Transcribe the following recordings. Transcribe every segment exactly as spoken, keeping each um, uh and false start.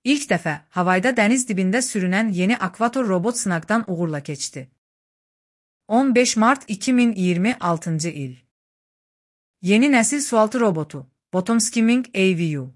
İlk dəfə havayda dəniz dibində sürünən yeni akvator robot sınaqdan uğurla keçdi. on beş mart iki min iyirmi altıncı il. Yeni nəsil sualtı robotu, Bottom Skimming A V U.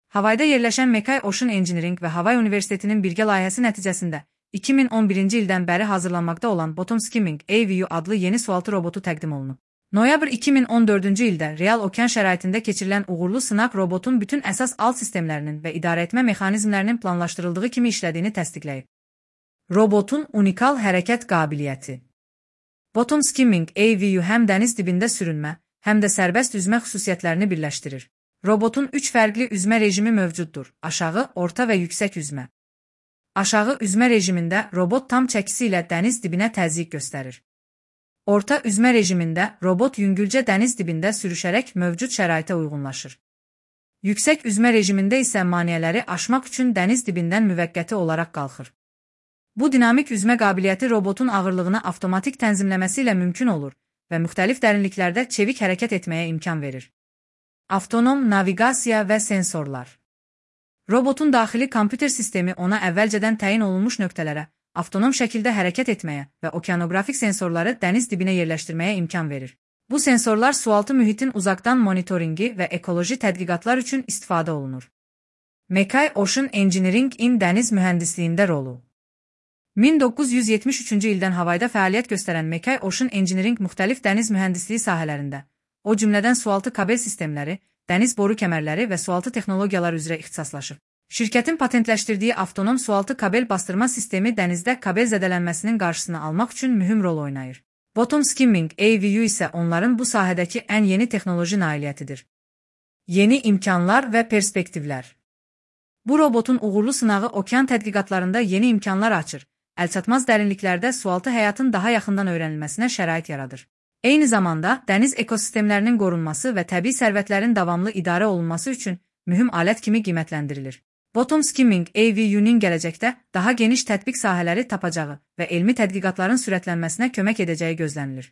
Havayda yerləşən Mekai Ocean Engineering və Havay Universitetinin birgə layihəsi nəticəsində iki min on birinci ildən bəri hazırlanmaqda olan Bottom Skimming A V U adlı yeni sualtı robotu təqdim olunub. Noyabr iki min on dördüncü ildə real okean şəraitində keçirilən uğurlu sınaq robotun bütün əsas alt sistemlərinin və idarəetmə mexanizmlərinin planlaşdırıldığı kimi işlədiyini təsdiqləyib. Robotun unikal hərəkət qabiliyyəti. Bottom Skimming A V U həm dəniz dibində sürünmə, həm də sərbəst üzmə xüsusiyyətlərini birləşdirir. Robotun üç fərqli üzmə rejimi mövcuddur: aşağı, orta və yüksək üzmə. Aşağı üzmə rejimində robot tam çəkisi ilə dəniz dibinə təzyiq göstərir. Orta üzmə rejimində robot yüngülcə dəniz dibində sürüşərək mövcud şəraitə uyğunlaşır. Yüksək üzmə rejimində isə maneələri aşmaq üçün dəniz dibindən müvəqqəti olaraq qalxır. Bu dinamik üzmə qabiliyyəti robotun ağırlığını avtomatik tənzimləməsi ilə mümkün olur və müxtəlif dərinliklərdə çevik hərəkət etməyə imkan verir. Avtonom naviqasiya və sensorlar. Robotun daxili kompüter sistemi ona əvvəlcədən təyin olunmuş nöqtələrə avtonom şəkildə hərəkət etməyə və okeanografik sensorları dəniz dibinə yerləşdirməyə imkan verir. Bu sensorlar sualtı mühitin uzaqdan monitoringi və ekoloji tədqiqatlar üçün istifadə olunur. Mekai Ocean Engineering-in dəniz mühəndisliyində rolu. min doqquz yüz yetmiş üçüncü ildən havayda fəaliyyət göstərən Mekai Ocean Engineering müxtəlif dəniz mühəndisliyi sahələrində, o cümlədən sualtı kabel sistemləri, dəniz boru kəmərləri və sualtı texnologiyalar üzrə ixtisaslaşıb. Şirkətin patentləşdirdiyi avtonom sualtı kabel bastırma sistemi dənizdə kabel zədələnməsinin qarşısını almaq üçün mühüm rol oynayır. Bottom Skimming A V U isə onların bu sahədəki ən yeni texnoloji nailiyyətidir. Yeni imkanlar və perspektivlər. Bu robotun uğurlu sınağı okean tədqiqatlarında yeni imkanlar açır, əlçatmaz dərinliklərdə sualtı həyatın daha yaxından öyrənilməsinə şərait yaradır. Eyni zamanda dəniz ekosistemlərinin qorunması və təbii sərvətlərin davamlı idarə olunması üçün mühüm alət kimi qiymətləndirilir. Bottom Skimming A V U-nin gələcəkdə daha geniş tətbiq sahələri tapacağı və elmi tədqiqatların sürətlənməsinə kömək edəcəyi gözlənilir.